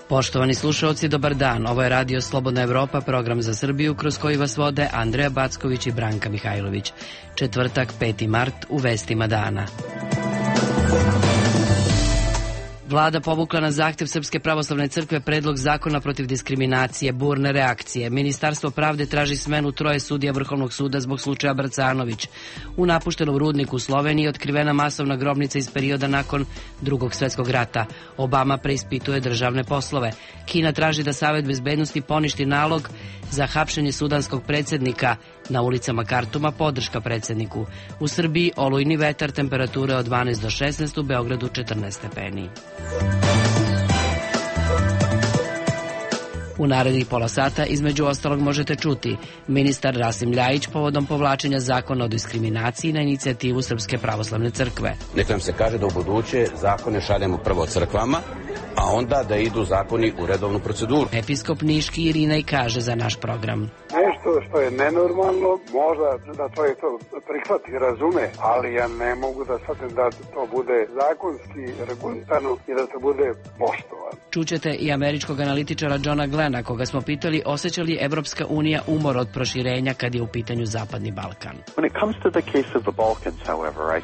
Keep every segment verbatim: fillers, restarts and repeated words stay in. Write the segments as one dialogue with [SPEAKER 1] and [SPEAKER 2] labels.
[SPEAKER 1] Poštovani slušalci, dobar dan. Ovo je Radio Slobodna Evropa, program za Srbiju kroz koji vas vode Andreja Backović i Branka Mihajlović. Četvrtak, peti mart, u vestima dana. Vlada povukla na zahtev Srpske pravoslavne crkve predlog zakona protiv diskriminacije, burne reakcije. Ministarstvo pravde traži smenu troje sudija Vrhovnog suda zbog slučaja Bracanović. U napuštenom rudniku u Sloveniji otkrivena masovna grobnica iz perioda nakon Drugog svetskog rata. Obama preispituje državne poslove. Kina traži da Savet bezbednosti poništi nalog za hapšenje sudanskog predsjednika. Na ulicama Kartuma podrška predsjedniku. U Srbiji olujni vetar, temperature od dvanaest do šesnaest, u Beogradu četrnaest stepeni. U narednih pola sata između ostalog možete čuti ministar Rasim Ljajić povodom povlačenja zakona o diskriminaciji na inicijativu Srpske pravoslavne crkve.
[SPEAKER 2] Neka nam se kaže da u buduće zakone šaljemo prvo crkvama, a onda da idu zakoni u redovnu proceduru.
[SPEAKER 1] Episkop Niški Irinej kaže za naš program.
[SPEAKER 3] Nešto što je nenormalno, možda da to je to prihvati, razume, ali ja ne mogu da shvatim da to bude zakonski regulisano i da to bude poštovano.
[SPEAKER 1] Čućete i američkog analitičara Johna Glena, koga smo pitali osjeća li Evropska unija umor od proširenja kad je u pitanju Zapadni Balkan.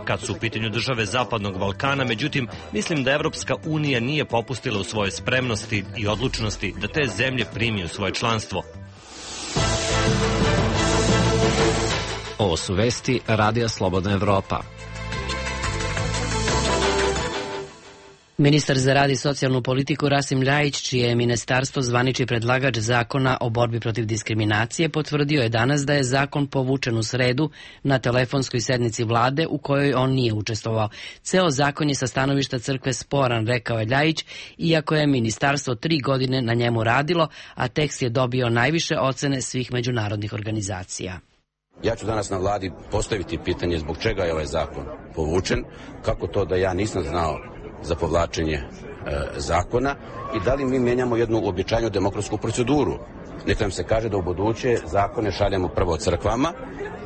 [SPEAKER 4] Kad su u pitanju države Zapadnog Balkana, međutim, mislim da Evropska unija nije popustila u svojoj spremnosti i odlučnosti da te zemlje primi u svoje članstvo.
[SPEAKER 5] Ovo su vesti Radija Slobodna Evropa.
[SPEAKER 1] Ministar za rad i socijalnu politiku Rasim Ljajić, čije je ministarstvo zvanični predlagač zakona o borbi protiv diskriminacije, potvrdio je danas da je zakon povučen u sredu na telefonskoj sednici vlade u kojoj on nije učestvovao. Ceo zakon je sa stanovišta crkve sporan, rekao je Ljajić, iako je ministarstvo tri godine na njemu radilo, a tekst je dobio najviše ocene svih međunarodnih organizacija.
[SPEAKER 2] Ja ću danas na vladi postaviti pitanje zbog čega je ovaj zakon povučen, kako to da ja nisam znao za povlačenje e, zakona i da li mi menjamo jednu uobičajenu demokratsku proceduru. Neka nam se kaže da u buduće zakone šaljemo prvo crkvama,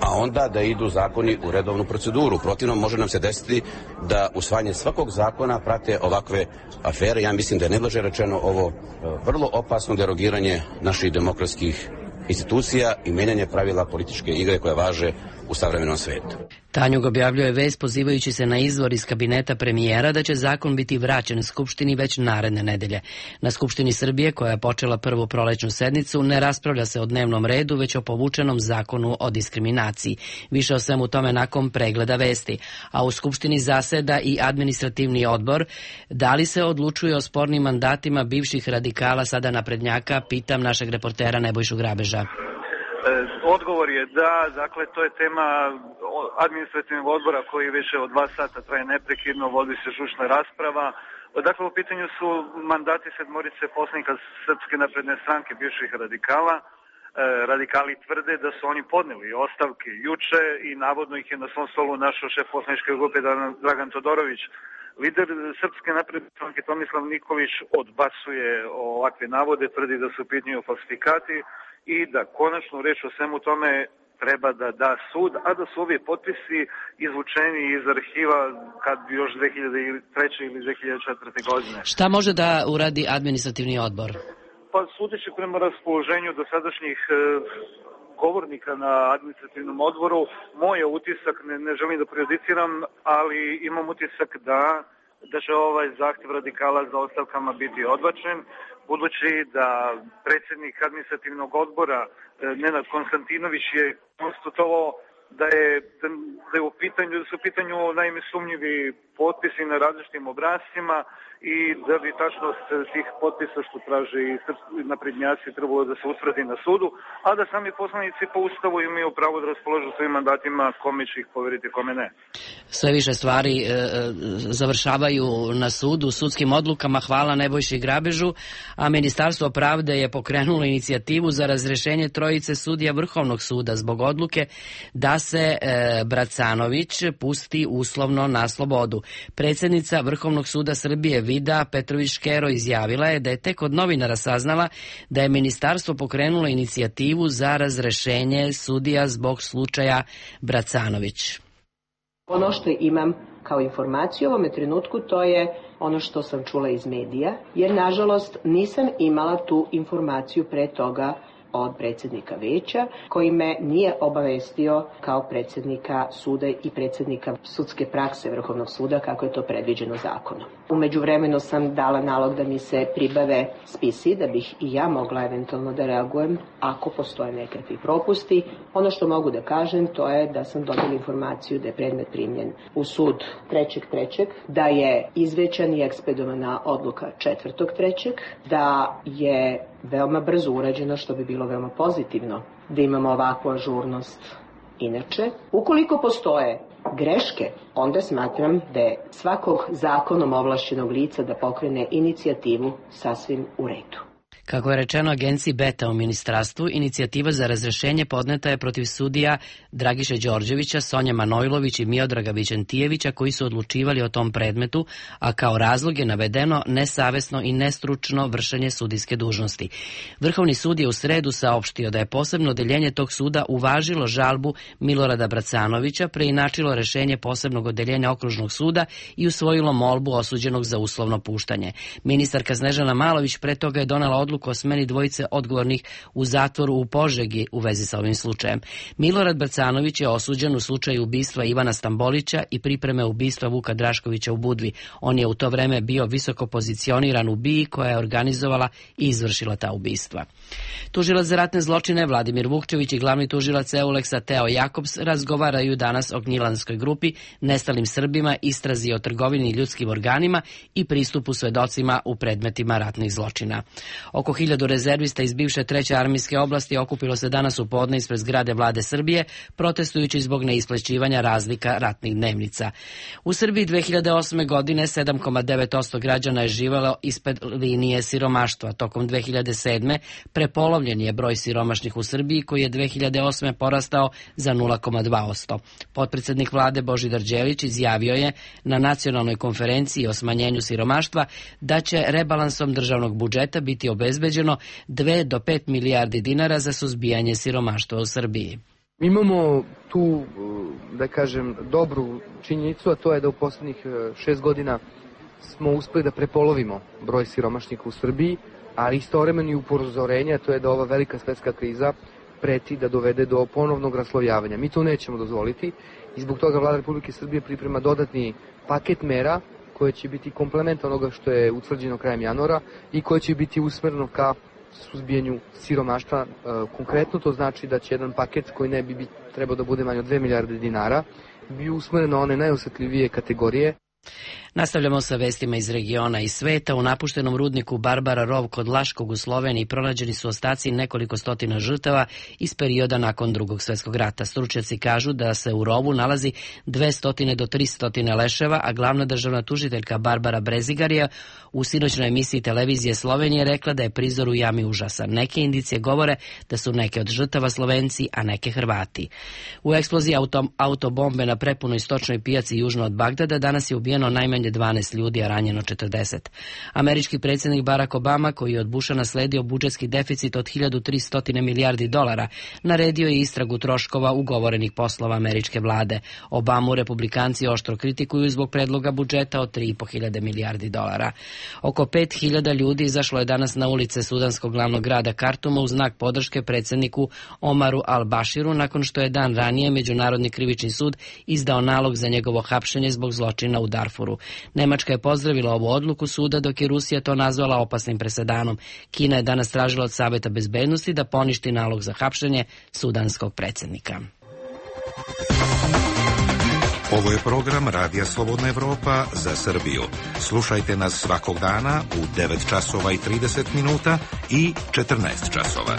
[SPEAKER 2] a onda da idu zakoni u redovnu proceduru. Protivno može nam se desiti da usvajanje svakog zakona prate ovakve afere. Ja mislim da je neblaže rečeno ovo e, vrlo opasno derogiranje naših demokratskih institucija i menjanje pravila političke igre koje važe u savremenom svetu.
[SPEAKER 1] Tanjug objavljuje vest pozivajući se na izvor iz kabineta premijera da će zakon biti vraćen Skupštini već naredne nedelje. Na Skupštini Srbije, koja je počela prvu prolećnu sednicu, ne raspravlja se o dnevnom redu, već o povučenom zakonu o diskriminaciji. Više o svemu tome nakon pregleda vesti. A u Skupštini zaseda i administrativni odbor. Da li se odlučuje o spornim mandatima bivših radikala, sada naprednjaka, pitam našeg reportera Nebojšu Grabeža.
[SPEAKER 6] Odgovor je da, dakle to je tema administrativnog odbora koji više od dva sata traje neprekidno, vodi se žučna rasprava. Dakle, u pitanju su mandati sedmorice poslanika Srpske napredne stranke bivših radikala. E, radikali tvrde da su oni podneli ostavke juče i navodno ih je na svom stolu našao šef poslaničke grupe Dragan Todorović. Lider Srpske napredne stranke Tomislav Nikolić odbacuje ovakve navode, tvrdi da su u pitanju falsifikati i da konačno reč o svemu tome treba da da sud, a da su ovi potpisi izvučeni iz arhiva kad bi još dve hiljade treće ili dve hiljade četvrte godine.
[SPEAKER 1] Šta može da uradi administrativni odbor?
[SPEAKER 6] Pa sudeći prema raspoloženju dosadašnjih e, govornika na administrativnom odboru, moj je utisak, ne, ne želim da prejudiciram, ali imam utisak da da će ovaj zahtjev radikala za ostavkama biti odbačen, budući da predsjednik administrativnog odbora Nenad Konstantinović je konstatovao da je, da je u pitanju, da su u pitanju naime sumnjivi potpisi na različitim obrascima i da bi tačnost tih potpisa što traže i naprednjaci trebalo da se utvrdi na sudu, a da sami poslanici po ustavu imaju pravo da raspolažu svojim mandatima, kome će ih poveriti, kome ne.
[SPEAKER 1] Sve više stvari e, završavaju na sudu, sudskim odlukama, hvala Nebojši Grabežu, a Ministarstvo pravde je pokrenulo inicijativu za razrešenje trojice sudija Vrhovnog suda zbog odluke da se e, Bracanović pusti uslovno na slobodu. Predsjednica Vrhovnog suda Srbije Vida Petrović-Škero izjavila je da je tek od novinara saznala da je ministarstvo pokrenulo inicijativu za razrešenje sudija zbog slučaja Bracanović.
[SPEAKER 7] Ono što imam kao informaciju u ovome trenutku to je ono što sam čula iz medija, jer nažalost nisam imala tu informaciju pre toga od predsjednika veća, koji me nije obavestio kao predsjednika suda i predsjednika sudske prakse Vrhovnog suda kako je to predviđeno zakonom. U međuvremenu sam dala nalog da mi se pribave spisi da bih i ja mogla eventualno da reagujem ako postoje nekakvi propusti. Ono što mogu da kažem to je da sam dobila informaciju da je predmet primljen u sud trećeg trećeg, da je izvećan i ekspedovana odluka četvrtog trećeg, da je veoma brzo urađeno, što bi bilo veoma pozitivno da imamo ovakvu ažurnost. Inače, ukoliko postoje greške, onda smatram da je svakog zakonom ovlašćenog lica da pokrene inicijativu sasvim u redu.
[SPEAKER 1] Kako je rečeno agenciji Beta u ministarstvu, inicijativa za razrešenje podneta je protiv sudija Dragiše Đorđevića, Sonje Manojlović i Miodraga Vićentijevića koji su odlučivali o tom predmetu, a kao razlog je navedeno nesavesno i nestručno vršenje sudijske dužnosti. Vrhovni sud je u sredu saopštio da je posebno odeljenje tog suda uvažilo žalbu Milorada Bracanovića, preinačilo rešenje posebnog odeljenja okružnog suda i usvojilo molbu osuđenog za uslovno puštanje. Ministarka Snežana Malović pre toga je donela odluku o smeni dvojice odgovornih u zatvoru u Požegi u vezi sa ovim slučajem. Milorad Bracanović je osuđen u slučaju ubistva Ivana Stambolića i pripreme ubistva Vuka Draškovića u Budvi. On je u to vreme bio visoko pozicioniran u B I A koja je organizovala i izvršila ta ubistva. Tužilac za ratne zločine Vladimir Vukčević i glavni tužilac Euleksa Teo Jakobs razgovaraju danas o Gnjilanskoj grupi, nestalim Srbima, istrazi o trgovini ljudskim organima i pristupu svedocima u predmetima ratnih zločina. Oko hiljadu rezervista iz bivše treće armijske oblasti okupilo se danas u podne ispred zgrade vlade Srbije, protestujući zbog neisplaćivanja razlika ratnih dnevnica. U Srbiji dve hiljade osme. godine sedam zarez devet posto građana je živelo ispod linije siromaštva. Tokom dve hiljade sedme. prepolovljen je broj siromašnih u Srbiji koji je dve hiljade osme. porastao za nula zarez dva posto. Potpredsednik vlade Božidar Đelić izjavio je na nacionalnoj konferenciji o smanjenju siromaštva da će rebalansom državnog budžeta biti obezbeđeno dve do pet milijardi dinara za suzbijanje siromaštva u Srbiji.
[SPEAKER 8] Mi imamo tu, da kažem, dobru činjenicu, a to je da u poslednjih šest godina smo uspeli da prepolovimo broj siromašnika u Srbiji, ali istovremeno i upozorenje, to je da ova velika svetska kriza preti da dovede do ponovnog raslojavanja. Mi to nećemo dozvoliti i zbog toga Vlada Republike Srbije priprema dodatni paket mera koje će biti komplement onoga što je utvrđeno krajem januara i koje će biti usmereno ka suzbijanju siromaštva. Konkretno to znači da će jedan paket koji ne bi trebao da bude manje od dve milijarde dinara bi usmeren na one najosetljivije kategorije.
[SPEAKER 1] Nastavljamo sa vestima iz regiona i sveta. U napuštenom rudniku Barbara Rov kod Laškog u Sloveniji pronađeni su ostaci nekoliko stotina žrtava iz perioda nakon Drugog svjetskog rata. Stručnjaci kažu da se u rovu nalazi dvesta do trista leševa, a glavna državna tužiteljka Barbara Brezigarija u sinoćnoj emisiji televizije Slovenije rekla da je prizor u jami užasan. Neke indicije govore da su neke od žrtava Slovenci, a neke Hrvati. U eksploziji auto, autobombe na prepunoj stočnoj pijaci južno od Bagdada danas je ubijeno najmanje dvanaest ljudi, a ranjeno četrdeset. Američki predsjednik Barack Obama, koji je od Busha nasledio budžetski deficit od hiljadu tristo milijardi dolara, naredio je istragu troškova ugovorenih poslova američke vlade. Obamu republikanci oštro kritikuju zbog predloga budžeta od tri i po hiljade milijardi dolara. Oko pet hiljada ljudi izašlo je danas na ulice sudanskog glavnog grada Kartuma u znak podrške predsjedniku Omaru al-Bashiru nakon što je dan ranije Međunarodni krivični sud izdao nalog za njegovo hapšenje zbog zločina u Darfuru. Nemačka je pozdravila ovu odluku suda, dok je Rusija to nazvala opasnim presedanom. Kina je danas tražila od Saveta bezbednosti da poništi nalog za hapšenje sudanskog predsjednika.
[SPEAKER 9] Ovo je program Radija Slobodna Evropa za Srbiju. Slušajte nas svakog dana u devet časova i trideset minuta i četrnaest časova.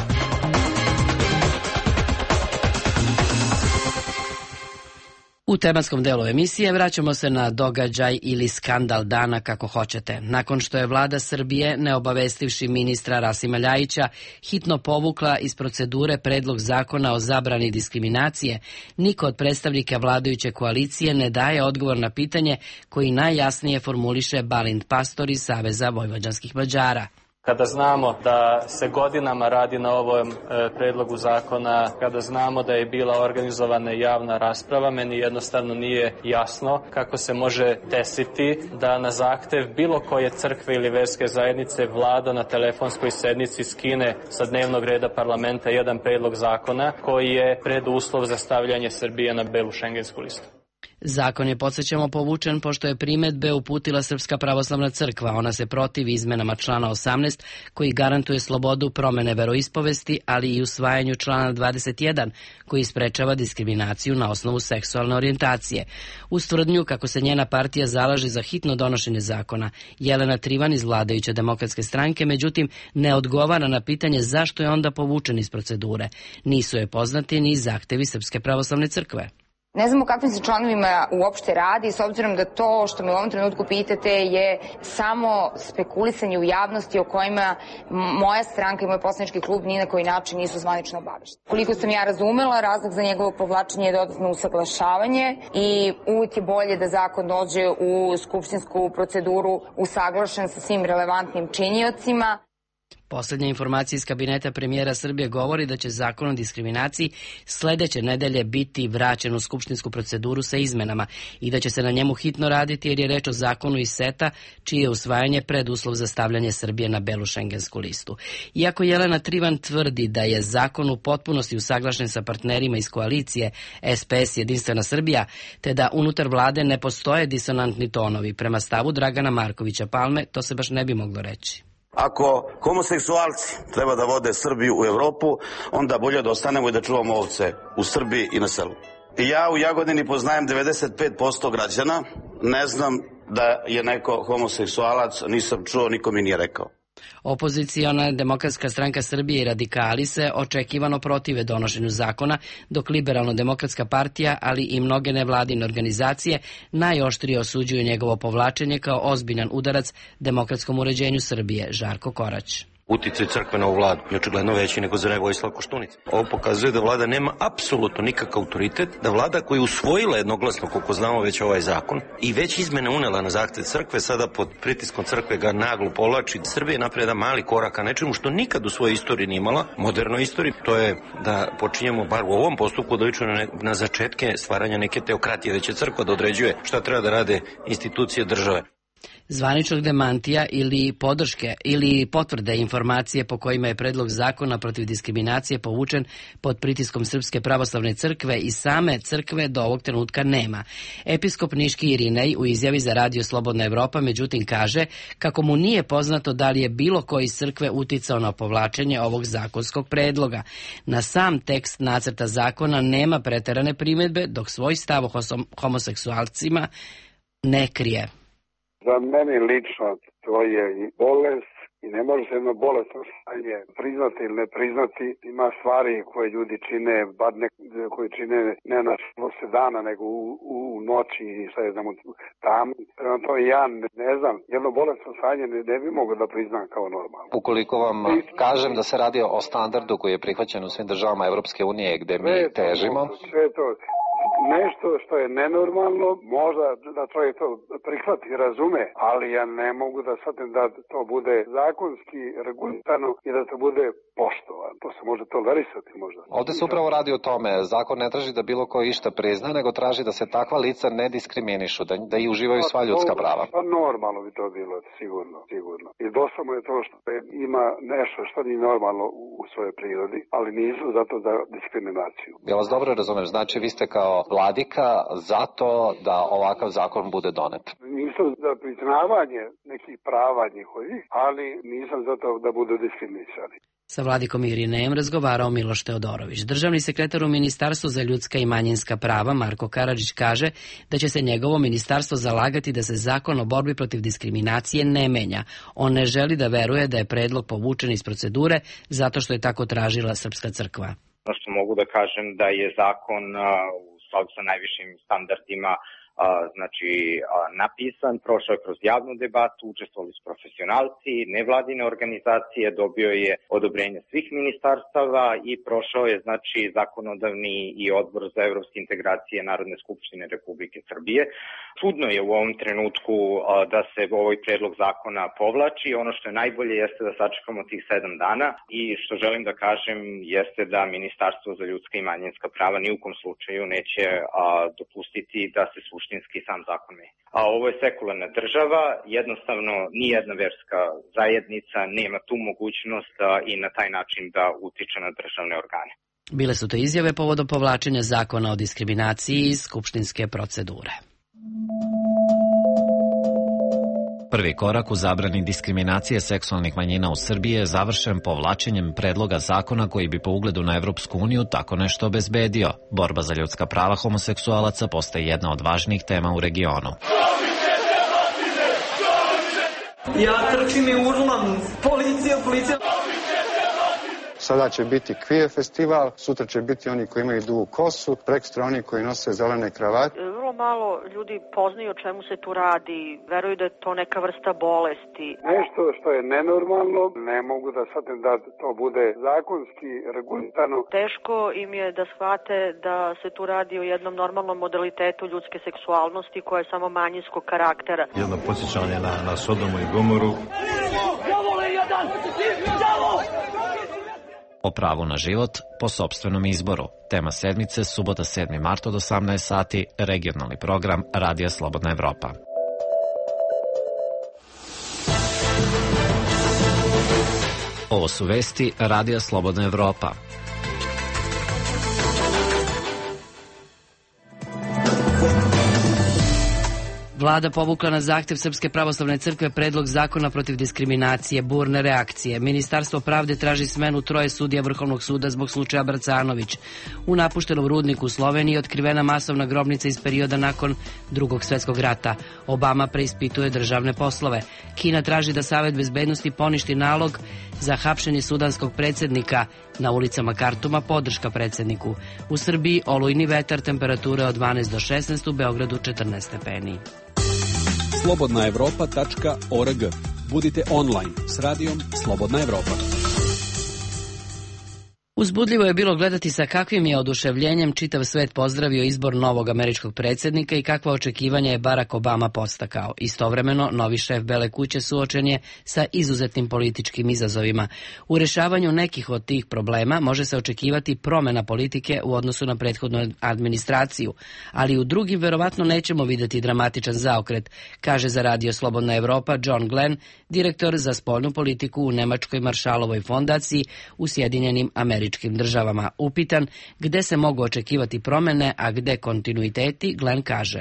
[SPEAKER 1] U tematskom delu emisije vraćamo se na događaj ili skandal dana, kako hoćete. Nakon što je vlada Srbije, ne obavestivši ministra Rasima Ljajića, hitno povukla iz procedure predlog zakona o zabrani diskriminacije, niko od predstavnika vladajuće koalicije ne daje odgovor na pitanje koji najjasnije formuliše Balint Pastor iz Saveza vojvođanskih Mađara.
[SPEAKER 10] Kada znamo da se godinama radi na ovom e, predlogu zakona, kada znamo da je bila organizovana javna rasprava, meni jednostavno nije jasno kako se može desiti da na zahtev bilo koje crkve ili verske zajednice vlada na telefonskoj sednici skine sa dnevnog reda parlamenta jedan predlog zakona koji je preduslov za stavljanje Srbije na belu šengensku listu.
[SPEAKER 1] Zakon je, podsjećamo, povučen pošto je primedbe uputila Srpska pravoslavna crkva. Ona se protivi izmenama člana osamnaest koji garantuje slobodu promene veroispovesti, ali i usvajanju člana dvadeset jedan koji sprečava diskriminaciju na osnovu seksualne orijentacije. Uz tvrdnju kako se njena partija zalaže za hitno donošenje zakona, Jelena Trivan iz vladajuće Demokratske stranke, međutim, ne odgovara na pitanje zašto je onda povučen iz procedure. Nisu je poznati ni zahtevi Srpske pravoslavne crkve.
[SPEAKER 11] Ne znam o kakvim se članovima uopšte radi, s obzirom da to što me u ovom trenutku pitate je samo spekulisanje u javnosti o kojima moja stranka i moj poslanički klub ni na koji način nisu zvanično obavešteni. Koliko sam ja razumela, razlog za njegovo povlačenje je dodatno usaglašavanje i uvijek je bolje da zakon dođe u skupštinsku proceduru usaglašen sa svim relevantnim činiocima.
[SPEAKER 1] Poslednja informacija iz kabineta premijera Srbije govori da će zakon o diskriminaciji sledeće nedelje biti vraćen u skupštinsku proceduru sa izmenama i da će se na njemu hitno raditi jer je reč o zakonu iz seta čije je usvajanje preduslov za stavljanje Srbije na belu šengensku listu. Iako Jelena Trivan tvrdi da je zakon u potpunosti usaglašen sa partnerima iz koalicije S P S Jedinstvena Srbija, te da unutar vlade ne postoje disonantni tonovi, prema stavu Dragana Markovića Palme, to se baš ne bi moglo reći.
[SPEAKER 2] Ako homoseksualci treba da vode Srbiju u Evropu, onda bolje da ostanemo i da čuvamo ovce u Srbiji i na selu. I ja u Jagodini poznajem devedeset pet posto građana, ne znam da je neko homoseksualac, nisam čuo, niko mi nije rekao.
[SPEAKER 1] Opoziciona Demokratska stranka Srbije i radikali se očekivano protive donošenju zakona, dok Liberalno-demokratska partija, ali i mnoge nevladine organizacije najoštrije osuđuju njegovo povlačenje kao ozbiljan udarac demokratskom uređenju Srbije. Žarko Korać.
[SPEAKER 12] Uticaj crkve na ovu vladu je očigledno veći nego za Vojislava Koštunicu. Ovo pokazuje da vlada nema apsolutno nikakav autoritet, da vlada koja je usvojila jednoglasno, koliko znamo, već ovaj zakon i već izmene unela na zahtev crkve, sada pod pritiskom crkve ga naglo povlači. Srbija je napravila jedan mali korak ka nečemu što nikad u svojoj istoriji nije imala, modernoj istoriji, to je da počinjemo bar u ovom postupku da ličimo na, na začetke stvaranja neke teokratije, da će crkva da određuje šta treba da rade institucije države.
[SPEAKER 1] Zvaničnog demantija ili podrške ili potvrde informacije po kojima je predlog zakona protiv diskriminacije povučen pod pritiskom Srpske pravoslavne crkve i same crkve do ovog trenutka nema. Episkop Niški Irinej u izjavi za Radio Slobodna Evropa međutim kaže kako mu nije poznato da li je bilo koji iz crkve uticao na povlačenje ovog zakonskog predloga. Na sam tekst nacrta zakona nema preterane primedbe, dok svoj stav o homoseksualcima ne krije.
[SPEAKER 3] Za mene lično to je i bolest i ne može se jedno bolestno stanje priznati ili ne priznati. Ima stvari koje ljudi čine, bar ne, koji čine ne na se dana, nego u, u noći i šta je znam tam. Prema to ja ne, ne znam, jedno bolestno stanje ne, ne bi mogo da priznam kao normalno.
[SPEAKER 5] Ukoliko vam kažem da se radi o standardu koji je prihvaćen u svim državama Evropske unije gde mi težimo.
[SPEAKER 3] Sve to. Nešto što je nenormalno, možda da čovjek to prihvati i razume, ali ja ne mogu da shvatim da to bude zakonski regulisano i da to bude poštovano. To se može tolerisati možda.
[SPEAKER 5] Ovde se upravo radi o tome. Zakon ne traži da bilo ko išta prizna, nego traži da se takva lica ne diskriminišu, da, da i uživaju sva ljudska prava.
[SPEAKER 3] Pa normalno bi to bilo, sigurno, sigurno. I dosta mu je to što ima nešto što nije normalno u svojoj prirodi, ali nisu zato za diskriminaciju.
[SPEAKER 5] Ja vas dobro razumem, znači vi ste kao vladika zato da ovakav zakon bude donet.
[SPEAKER 3] Nisam za priznavanje nekih prava njihovih, ali nisam za to da budu diskriminisani.
[SPEAKER 1] Sa vladikom Irinejem razgovarao Miloš Teodorović. Državni sekretar u Ministarstvu za ljudska i manjinska prava Marko Karadžić kaže da će se njegovo ministarstvo zalagati da se zakon o borbi protiv diskriminacije ne menja. On ne želi da veruje da je predlog povučen iz procedure zato što je tako tražila Srpska crkva.
[SPEAKER 13] Ono što mogu da kažem da je zakon u skladu sa najvišim standardima znači napisan, prošao je kroz javnu debatu, učestvovali su profesionalci, nevladine organizacije, dobio je odobrenje svih ministarstava i prošao je znači zakonodavni i odbor za evropske integracije Narodne skupštine Republike Srbije. Čudno je u ovom trenutku da se ovaj predlog zakona povlači. Ono što je najbolje jeste da sačekamo tih sedam dana i što želim da kažem jeste da Ministarstvo za ljudska i manjinska prava ni u kom slučaju neće a, dopustiti da se suštinski sam zakon menja. A ovo je sekularna država, jednostavno nijedna verska zajednica nema tu mogućnost a, i na taj način da utiče na državne organe.
[SPEAKER 1] Bile su to izjave povodom povlačenja zakona o diskriminaciji iz skupštinske procedure.
[SPEAKER 14] Prvi korak u zabrani diskriminacije seksualnih manjina u Srbiji je završen povlačenjem predloga zakona koji bi po ugledu na Evropsku uniju tako nešto obezbedio. Borba za ljudska prava homoseksualaca postaje jedna od važnijih tema u regionu.
[SPEAKER 15] Ja trčim i urlam. Policija, policija.
[SPEAKER 16] Sada će biti queer festival, sutra će biti oni koji imaju dugu kosu, prekstra oni koji nose zelene kravate.
[SPEAKER 17] Vrlo malo ljudi poznaju o čemu se tu radi, veruju da je to neka vrsta bolesti.
[SPEAKER 3] Nešto što je nenormalno, ne mogu da shvatim da to bude zakonski regulirano.
[SPEAKER 17] Teško im je da shvate da se tu radi o jednom normalnom modalitetu ljudske seksualnosti koja je samo manjinskog karaktera.
[SPEAKER 18] Jedno podsjećanje na, na Sodomu i Gomoru.
[SPEAKER 14] O pravu na život po sopstvenom izboru. Tema sedmice, subota sedmi mart od osamnaest sati, regionalni program Radija Slobodna Evropa. Ovo su vesti Radija Slobodna Evropa.
[SPEAKER 1] Vlada povukla na zahtev Srpske pravoslavne crkve predlog zakona protiv diskriminacije, burne reakcije. Ministarstvo pravde traži smenu troje sudija Vrhovnog suda zbog slučaja Bracanović. U napuštenom rudniku u Sloveniji otkrivena masovna grobnica iz perioda nakon Drugog svetskog rata. Obama preispituje državne poslove. Kina traži da Savet bezbednosti poništi nalog za hapšenje sudanskog predsjednika. Na ulicama Kartuma podrška predsjedniku. U Srbiji olujni vetar, temperature od dvanaest do šesnaest, u Beogradu četrnaest stepeni.
[SPEAKER 19] slobodna evropa tačka org. Budite online s radijom Slobodna Evropa.
[SPEAKER 1] Uzbudljivo je bilo gledati sa kakvim je oduševljenjem čitav svet pozdravio izbor novog američkog predsjednika i kakva očekivanja je Barack Obama postakao. Istovremeno, novi šef Bele kuće suočen je sa izuzetnim političkim izazovima. U rešavanju nekih od tih problema može se očekivati promjena politike u odnosu na prethodnu administraciju, ali u drugim verovatno nećemo vidjeti dramatičan zaokret, kaže za Radio Slobodna Evropa John Glenn, direktor za spoljnu politiku u Nemačkoj Maršalovoj fondaciji u Sjedinjenim Američkim državama. Upitan gde se mogu očekivati promjene, a gde kontinuiteti, Glenn kaže: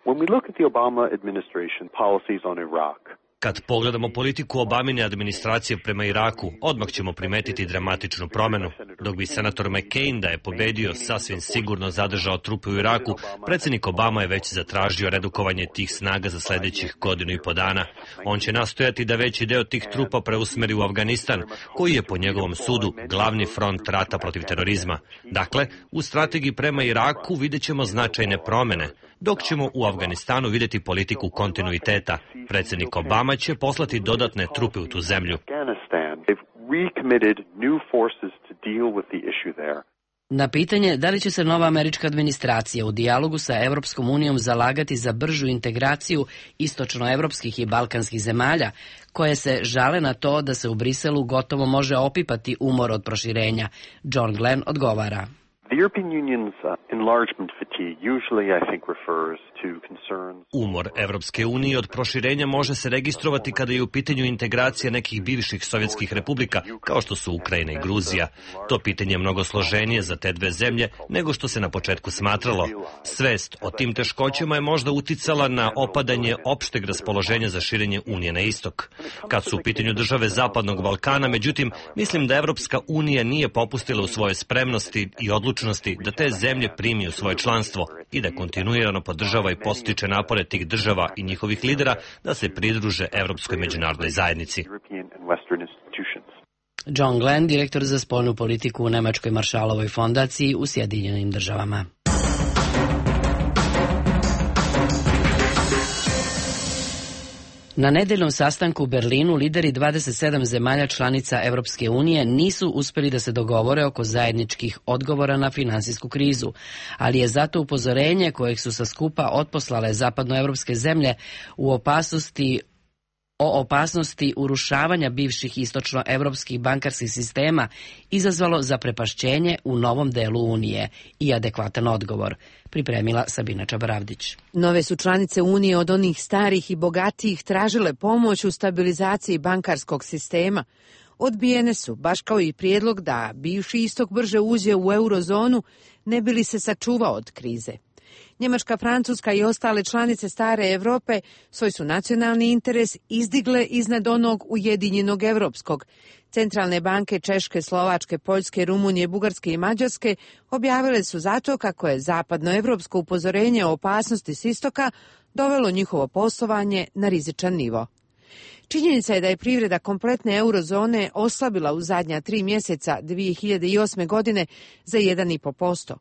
[SPEAKER 20] When we look at the Obama administration policies on Iraq,
[SPEAKER 4] Kad pogledamo politiku Obamine administracije prema Iraku, odmah ćemo primetiti dramatičnu promjenu. Dok bi senator McCain da je pobedio sasvim sigurno zadržao trupe u Iraku, predsjednik Obama je već zatražio redukovanje tih snaga za sljedećih godinu i po dana. On će nastojati da veći deo tih trupa preusmeri u Afganistan, koji je po njegovom sudu glavni front rata protiv terorizma. Dakle, u strategiji prema Iraku vidjet ćemo značajne promjene, dok ćemo u Afganistanu vidjeti politiku kontinuiteta. Predsjednik Obama će poslati dodatne trupe u tu zemlju.
[SPEAKER 1] Na pitanje da li će se nova američka administracija u dijalogu sa Evropskom unijom zalagati za bržu integraciju istočnoevropskih i balkanskih zemalja, koje se žale na to da se u Briselu gotovo može opipati umor od proširenja, John Glenn odgovara:
[SPEAKER 20] The European Union's uh, enlargement fatigue usually, I think, refers to concerns.
[SPEAKER 4] Umor Evropske unije od proširenja može se registrovati kada je u pitanju integracija nekih bivših sovjetskih republika, kao što su Ukrajina i Gruzija. To pitanje je mnogo složenije za te dve zemlje nego što se na početku smatralo. Svest o tim teškoćama je možda uticala na opadanje opšteg raspoloženja za širenje Unije na istok. Kad su u pitanju države Zapadnog Balkana, međutim, mislim da Evropska unija nije popustila u svoje spremnosti i odlučnosti da te zemlje primi u svoje članstvo i da kontinuirano podržava i podstiče napore tih država i njihovih lidera da se pridruže Evropskoj međunarodnoj zajednici.
[SPEAKER 1] John Glenn, direktor za spoljnu politiku u Nemačkoj Maršalovoj fondaciji u Sjedinjenim državama. Na nedeljnom sastanku u Berlinu lideri dvadeset sedam zemalja članica Evropske unije nisu uspeli da se dogovore oko zajedničkih odgovora na finansijsku krizu, ali je zato upozorenje kojeg su sa skupa otposlale zapadnoevropske zemlje u opasnosti o opasnosti urušavanja bivših istočnoevropskih bankarskih sistema izazvalo zaprepašćenje u novom delu Unije i adekvatan odgovor, pripremila Sabina Čabaravdić.
[SPEAKER 21] Nove su članice Unije od onih starih i bogatijih tražile pomoć u stabilizaciji bankarskog sistema. Odbijene su, baš kao i prijedlog da bivši istok brže uđe u eurozonu, ne bi li se sačuvao od krize. Njemačka, Francuska i ostale članice stare Europe svoj su nacionalni interes izdigle iznad onog ujedinjenog evropskog. Centralne banke Češke, Slovačke, Poljske, Rumunije, Bugarske i Mađarske objavile su zato kako je zapadnoevropsko upozorenje o opasnosti s istoka dovelo njihovo poslovanje na rizičan nivo. Činjenica je da je privreda kompletne eurozone oslabila u zadnja tri mjeseca dvije hiljade osme. godine za jedan i po posto.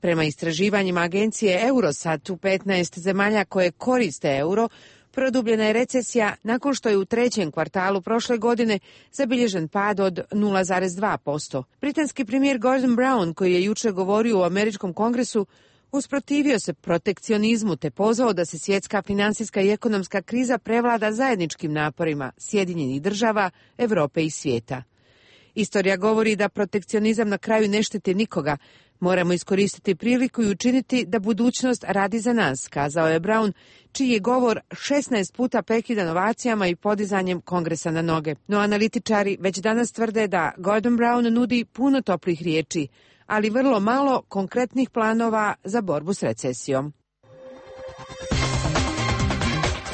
[SPEAKER 21] Prema istraživanjima agencije Eurostat u petnaest zemalja koje koriste euro, produbljena je recesija nakon što je u trećem kvartalu prošle godine zabilježen pad od nula zarez dva posto. Britanski premijer Gordon Brown, koji je jučer govorio u Američkom kongresu, usprotivio se protekcionizmu te pozvao da se svjetska financijska i ekonomska kriza prevlada zajedničkim naporima Sjedinjenih država, Europe i svijeta. Istorija govori da protekcionizam na kraju ne štiti nikoga. Moramo iskoristiti priliku i učiniti da budućnost radi za nas, kazao je Brown, čiji je govor šesnaest puta prekidan ovacijama i podizanjem kongresa na noge. No analitičari već danas tvrde da Gordon Brown nudi puno toplih riječi, ali vrlo malo konkretnih planova za borbu s recesijom.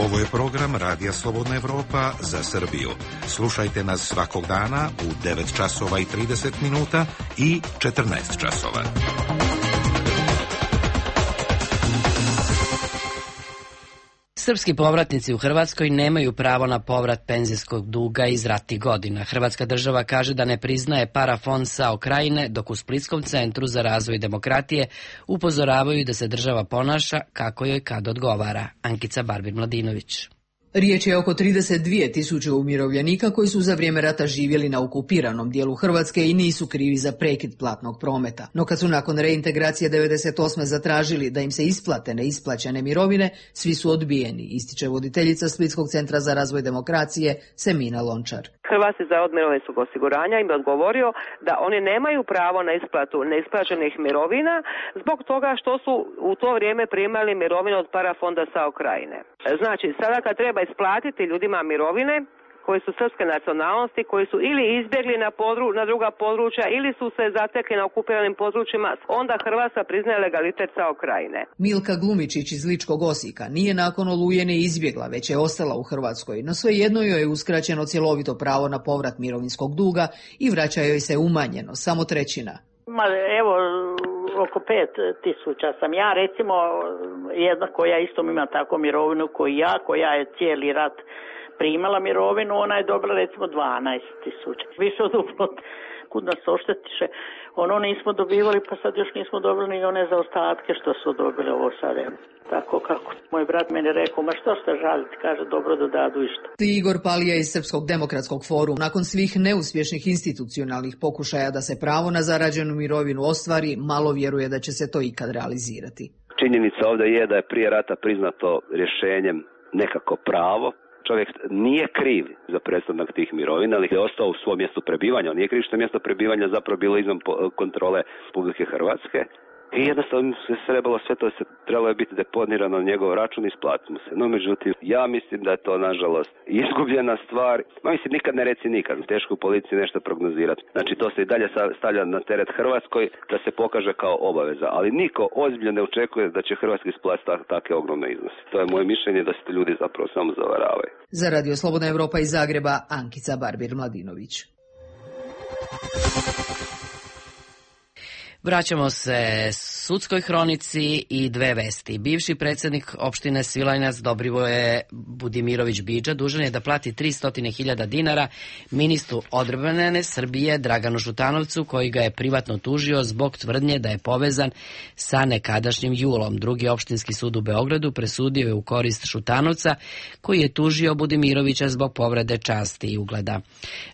[SPEAKER 9] Ovo je program Radija Slobodna Evropa za Srbiju. Slušajte nas svakog dana u devet časova i trideset minuta i četrnaest časova.
[SPEAKER 1] Srpski povratnici u Hrvatskoj nemaju pravo na povrat penzijskog duga iz ratnih godina. Hrvatska država kaže da ne priznaje parafond SAO Krajine, dok u Splitskom centru za razvoj demokratije upozoravaju da se država ponaša kako joj kad odgovara. Ankica Barbir-Mladinović.
[SPEAKER 22] Riječ je oko trideset dvije tisuće umirovljenika koji su za vrijeme rata živjeli na okupiranom dijelu Hrvatske i nisu krivi za prekid platnog prometa. No kad su nakon reintegracije devedeset osme zatražili da im se isplate neisplaćene mirovine, svi su odbijeni, ističe voditeljica Splitskog centra za razvoj demokracije Semina Lončar.
[SPEAKER 23] Hrvatski zavod mirovinskog osiguranja im je odgovorio da oni nemaju pravo na isplatu neisplaćenih mirovina zbog toga što su u to vrijeme primali mirovine od parafonda SAO Krajine. Znači, sada kad treba isplatiti ljudima mirovine koji su srpske nacionalnosti, koji su ili izbjegli na, podru, na druga područja ili su se zatekli na okupiranim područjima, onda Hrvatska priznaje legalitet SAO Krajine.
[SPEAKER 22] Milka Glumičić iz Ličkog Osijeka nije nakon Oluje ne izbjegla, već je ostala u Hrvatskoj, no svejedno joj je uskraćeno cjelovito pravo na povrat mirovinskog duga i vraća joj se umanjeno, samo trećina.
[SPEAKER 24] Ma, evo, oko pet tisuća sam ja, recimo jedna koja isto ima tako mirovinu koji ja, koja je cijeli rat primala mirovinu, ona je dobila recimo dvanaest tisuća. Više od uplot, kud nas oštetiše, ono nismo dobivali, pa sad još nismo dobili ni one zaostatke što su dobili ovo sad. Tako kako moj brat meni rekao, ma što ste žaliti, kaže dobro da dadu išto.
[SPEAKER 22] Igor Palija iz Srpskog demokratskog foruma, nakon svih neuspješnih institucionalnih pokušaja da se pravo na zarađenu mirovinu ostvari, malo vjeruje da će se to ikad realizirati.
[SPEAKER 25] Činjenica ovdje je da je prije rata priznato rješenjem nekako pravo. Čovjek nije kriv za prestanak tih mirovina, ali je ostao u svom mjestu prebivanja. On nije kriv što je mjesto prebivanja zapravo bilo izvan kontrole Republike Hrvatske. I jednostavno se trebalo sve to se trebalo je biti deponirano na njegov račun i isplatimo se. No međutim, ja mislim da je to nažalost izgubljena stvar. Ma mislim, nikad ne reci nikad. Teško u policiji nešto prognozirati. Znači to se i dalje stavlja na teret Hrvatskoj da se pokaže kao obaveza. Ali niko ozbiljno ne očekuje da će Hrvatska isplatiti takve ogromne iznose. To je moje mišljenje da se ljudi zapravo samo zavaravaju.
[SPEAKER 22] Za Radio Slobodna Evropa iz Zagreba, Ankica Barbir-Mladinović.
[SPEAKER 1] Vraćamo se sudskoj hronici i dve vesti. Bivši predsjednik opštine Svilajnac Dobrivoje Budimirović Bidža dužan je da plati tristo hiljada dinara ministru odbrane Srbije Draganu Šutanovcu, koji ga je privatno tužio zbog tvrdnje da je povezan sa nekadašnjim Julom. Drugi opštinski sud u Beogradu presudio je u korist Šutanovca, koji je tužio Budimirovića zbog povrede časti i ugleda.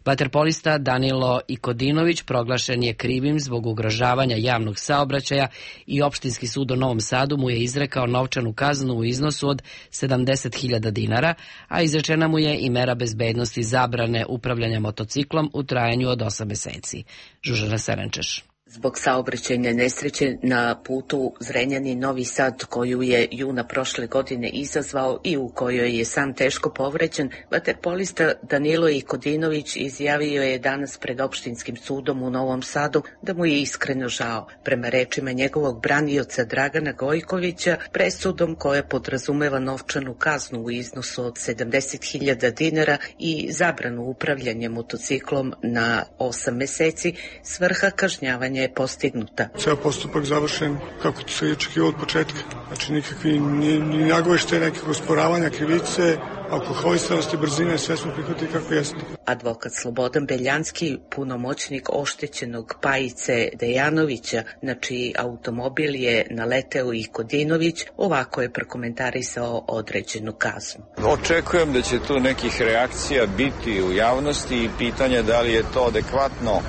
[SPEAKER 1] Vaterpolista Danilo Ikodinović proglašen je krivim zbog ugrožavanja javnog saobraćaja i opštinski sud u Novom Sadu mu je izrekao novčanu kaznu u iznosu od sedamdeset hiljada dinara, a izrečena mu je i mera bezbednosti zabrane upravljanja motociklom u trajanju od osam meseci. Žužana Serenčeš.
[SPEAKER 6] Zbog saobraćajne nesreće na putu Zrenjanin-Novi Sad, koju je juna prošle godine izazvao i u kojoj je sam teško povređen, vaterpolista Danilo Ikodinović izjavio je danas pred opštinskim sudom u Novom Sadu da mu je iskreno žao. Prema rečima njegovog branioca Dragana Gojkovića, presudom koja podrazumeva novčanu kaznu u iznosu od sedamdeset hiljada dinara i zabranu upravljanja motociklom na osam meseci, svrha kažnjavanja je postignuta.
[SPEAKER 7] Ceo postupak završen kako se je očekivalo od početka. Znači nikakvi ni, ni nagovešte nekakve osporavanja krivice, alkoholisanosti, brzine, sve smo prihvatili kako jeste.
[SPEAKER 6] Advokat Slobodan Beljanski, punomoćnik oštećenog Pajice Dejanovića, na čiji automobil je naleteo i Kodinović, ovako je prokomentarisao određenu kaznu.
[SPEAKER 8] Očekujem da će tu nekih reakcija biti u javnosti i pitanje da li je to adekvatno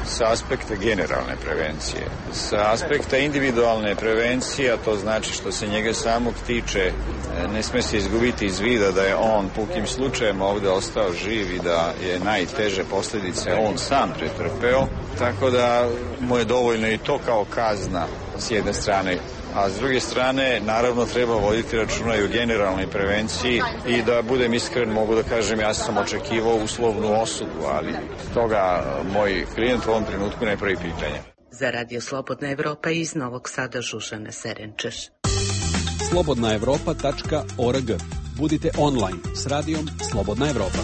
[SPEAKER 8] sa aspekta generalne prevencije. Sa aspekta individualne prevencije, a to znači što se njega samog tiče, ne sme se izgubiti iz vida da je on pukim slučajem ovde ostao živ i da je najteže posljedice on sam pretrpeo, tako da mu je dovoljno i to kao kazna s jedne strane. A s druge strane, naravno, treba voditi računa i o generalnoj prevenciji i da budem iskren, mogu da kažem, ja sam očekivao uslovnu osudu, ali toga moj klijent u ovom trenutku ne pravi pitanje.
[SPEAKER 6] Za Radio Slobodna Evropa iz Novog Sada Žužana Serenčeš.
[SPEAKER 19] slobodna evropa tačka org. Budite online s radijom Slobodna Evropa.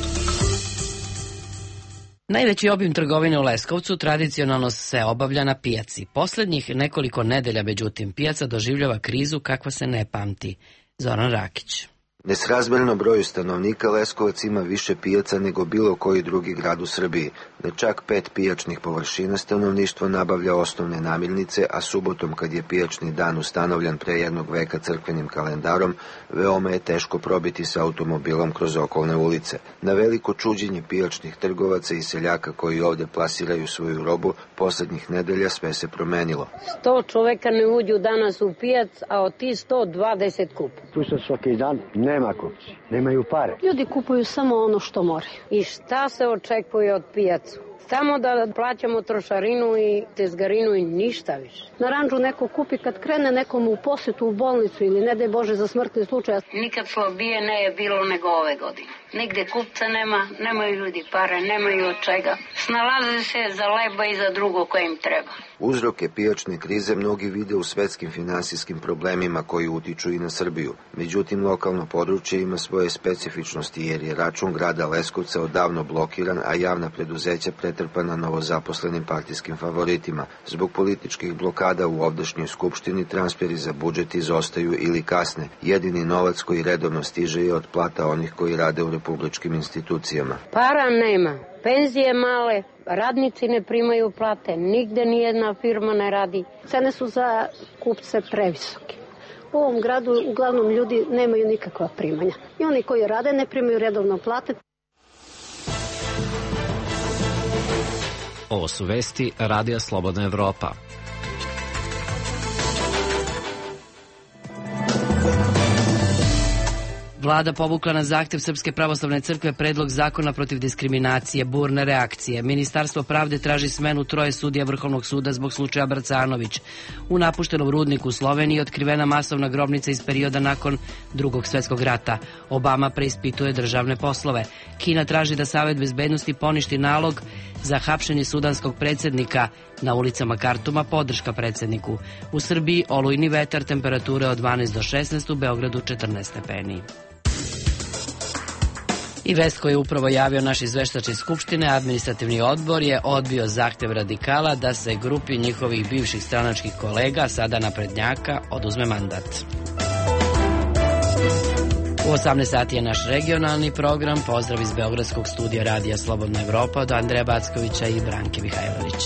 [SPEAKER 1] Najveći obim trgovine u Leskovcu tradicionalno se obavlja na pijaci. Poslednjih nekoliko nedelja, međutim, pijaca doživljava krizu kakva se ne pamti. Zoran Rakić.
[SPEAKER 10] Nesrazmjerno broju stanovnika Leskovac ima više pijaca nego bilo koji drugi grad u Srbiji. Na čak pet pijačnih površina stanovništvo nabavlja osnovne namirnice, a subotom, kad je pijačni dan ustanovljen pre jednog veka crkvenim kalendarom, veoma je teško probiti sa automobilom kroz okolne ulice. Na veliko čuđenje pijačnih trgovaca i seljaka koji ovde plasiraju svoju robu, poslednjih nedelja sve se promenilo.
[SPEAKER 11] Sto čoveka ne uđu danas u pijac, a od ti sto dvadeset kupu.
[SPEAKER 26] Tu se svaki dan nema kupci, nemaju pare.
[SPEAKER 11] Ljudi kupuju samo ono što moraju. I šta se očekuje od pijacu? Samo da plaćamo trošarinu i tezgarinu i ništa više. Na ranđu neko kupi kad krene nekom u posetu u bolnicu ili ne daj Bože za smrtni slučaj.
[SPEAKER 27] Nikad slabije ne je bilo nego ove godine. Nigde kupca nema, nemaju ljudi pare, nemaju od čega. Snalaze se za leba i za drugo koje im treba.
[SPEAKER 10] Uzroke pijačne krize mnogi vide u svetskim finansijskim problemima koji utiču i na Srbiju. Međutim, lokalno područje ima svoje specifičnosti jer je račun grada Leskovca odavno blokiran, a javna preduzeća pretrpana novozaposlenim partijskim favoritima. Zbog političkih blokada u ovdašnjoj skupštini transferi za budžet izostaju ili kasne. Jedini novac koji redovno stiže je od plata onih koji rade u republičkim institucijama.
[SPEAKER 11] Para nema. Penzije male, radnici ne primaju plate, nigde nijedna firma ne radi. Cene su za kupce previsoke. U ovom gradu uglavnom ljudi nemaju nikakva primanja. I oni koji rade ne primaju redovno plate.
[SPEAKER 14] Ovo su vesti Radija Slobodna Evropa.
[SPEAKER 1] Vlada povukla na zahtev Srpske pravoslavne crkve predlog zakona protiv diskriminacije, burne reakcije. Ministarstvo pravde traži smenu troje sudija Vrhovnog suda zbog slučaja Brcanović. U napuštenom rudniku u Sloveniji otkrivena masovna grobnica iz perioda nakon Drugog svetskog rata. Obama preispituje državne poslove. Kina traži da Savet bezbednosti poništi nalog za hapšenje sudanskog predsjednika. Na ulicama Kartuma podrška predsjedniku. U Srbiji olujni vetar, temperature od dvanaest do šesnaest, u Beogradu četrnaest stepeni. I vest koju je upravo javio naš izveštač iz Skupštine, administrativni odbor je odbio zahtev radikala da se grupi njihovih bivših stranačkih kolega, sada naprednjaka, oduzme mandat. U osamnaest sati je naš regionalni program. Pozdrav iz Beogradskog studija Radija Slobodna Evropa od Andreja Backovića i Branke Mihajlović.